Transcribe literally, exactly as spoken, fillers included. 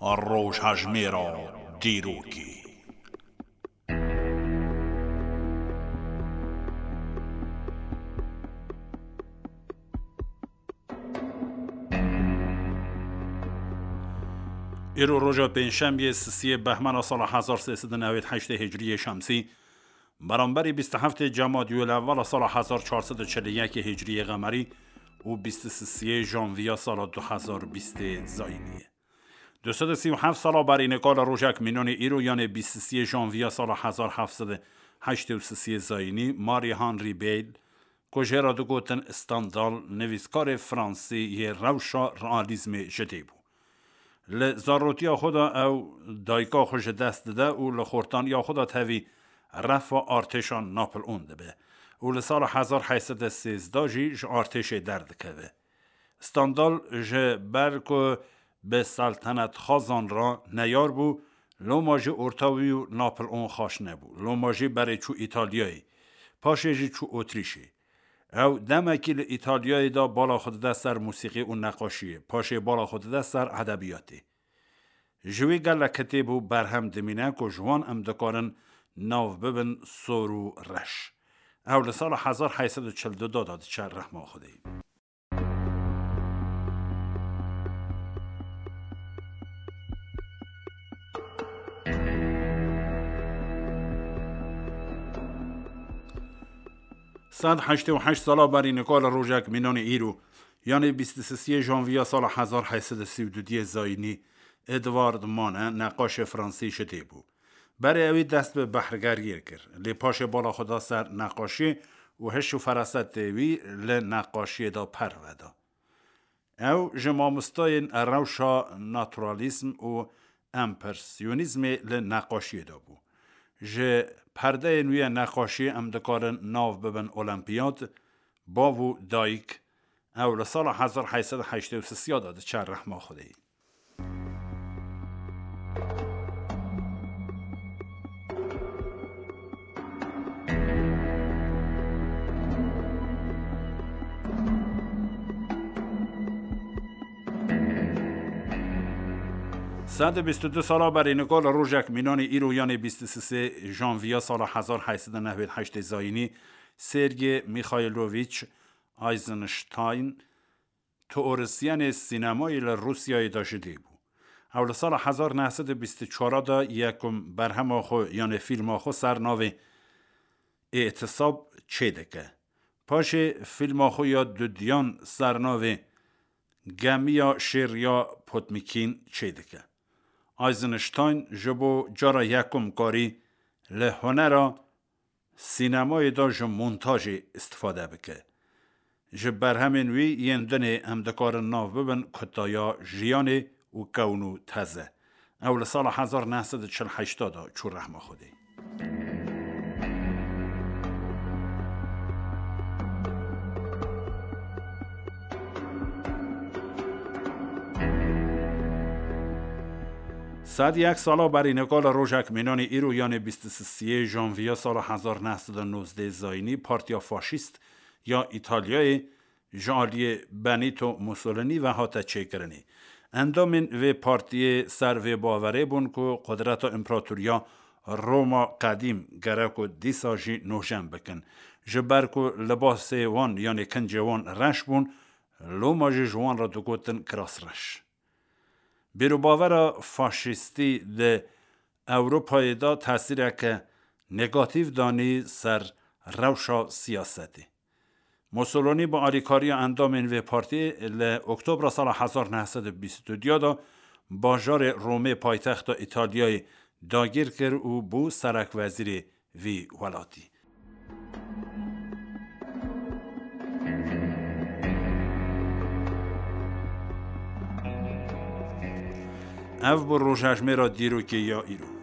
Rojhejmêra dîrokê. Îro roja pêncşemiyê, sisiyê behmena sala hezar sê sed û newêd heştê hicriyê şemsî, beramberî bîst û heftê Cemadî Ewwela sala hezar çar sed û çil û yekê hicriyê qemerî û bîst û sisiyê janviya sala du hezar bîstê zayînî ye. Du sed û sî û heft sala berî nika li rojek mînanê îro, yanê bîst û siyê janviya sala hezar heft sed û heştê û sisiyê zayînî, Marie Henri Beyle, ku jê re digotin Stendhal, nivîskarê fransî yê rewşa realîzmê ji dê bû. Li zarotiya xwe de ew dayika xwe ji dest dide û li xortaniya xwe de tevî refa artêşa Napoleon dibe û li sala hezar heyt sed û sêzdeh jî ji artêşê derdikeve. Stendhal ji ber ku bi seltenetxwazan re neyar bû, loma jî orta wî û Napoleon xweş nebû. Loma jî berê çû Îtalyayê, paşê jî çû Otrîşê. Ew demekî li Îtalyayê de bala xwe dide ser musîqî û neqaşiyê, paşê bala xwe dide ser edebiyatê. Ji wî gelek kitêb û berhem dimîne ku ji wan em dikarin nav bibin sor û reş. Ew li sala hezar heyt sed û çil du de diçe rehma Xwedê. Sed heştê û heşt sala berî nika li rojek mînanê îro, yanê bîst û sisiyê janviya sala hezar heyt sed û sî û duyê zayînî, Edward Manet, neqaşê fransî ji dê bû. Berê ewî dest bi behrgeriyê kir, lê paşê bala xwe da ser neqaşiyê û hiş û ferasetê wî li neqaşiyê de perve da. Ew ji mamostayên rewşa naturalîzm û empresyonîzmê li neqaşiyê de bû. Ji perdeyên wî yê neqaşiyê em dikarin nav bibin Olimpiyat, Bav û Dayik, ew li sala hezar heyt sed û heştê û sisiya de diçe rehma Xwedê. Sed û bîst û du sala berî nika li rojek mînanê îro, yanê bîst û sisê janviya sala hezar heyt sed û newêd heştê zayînî, Sergey Mîxayloviç Eisenstein, teorisyenê sînemayê li Rûsyayê de ji dê bû. Ew li sala hezar neh sed û bîst û çar de yekum berhema xwe, yanê fîlma xwe ser navê Îtisab çêdike. Paşê fîlma xwe ya dudiyan ser navê Gemiya Şêr ya Potmîkîn çêdike. Eisenstein ji bo cara yekum karî li hunera sînemayê de ji montajê îstifade bike. Ji berhemên wî yên dinê em dikarin nav bibin Kutaya Jiyanê û Kewn û Teze. Ew li sala hezar neh sed û çil heşt de çû rehma Xwedê. Sed yek sala berî nika li rojek mînanê îro, yanê bîst û sisiyê janviya sala hezar neh sed û nozdeh zayînî, Partiya Faşîst ya Îtalyayê ji aliyê Benito Mussolini ve hate çêkirinê. Endamên vê partiyê ser vê bawerê bûn ku qudreta împeratoriya Roma qedîm gerek ku dîsa jî nûjen bikin. Ji ber ku libasê wan, yanê kincê wan reş bûn, loma jî ji wan re digotin kirasreş. Bîrûbavera faşîstî di Ewropayê de tesîreke negatîf danî ser rewşa siyasetê. Mussolini bi alîkariya endamên vê partiyê li Oktobra sala hezar neh sed û bîst û du de bajarê Romê, paytexta Îtalyayê, dagîr kir û bû serekwezîrê vî welatî. Ev bû rojhejmêra dîrokê ya îro.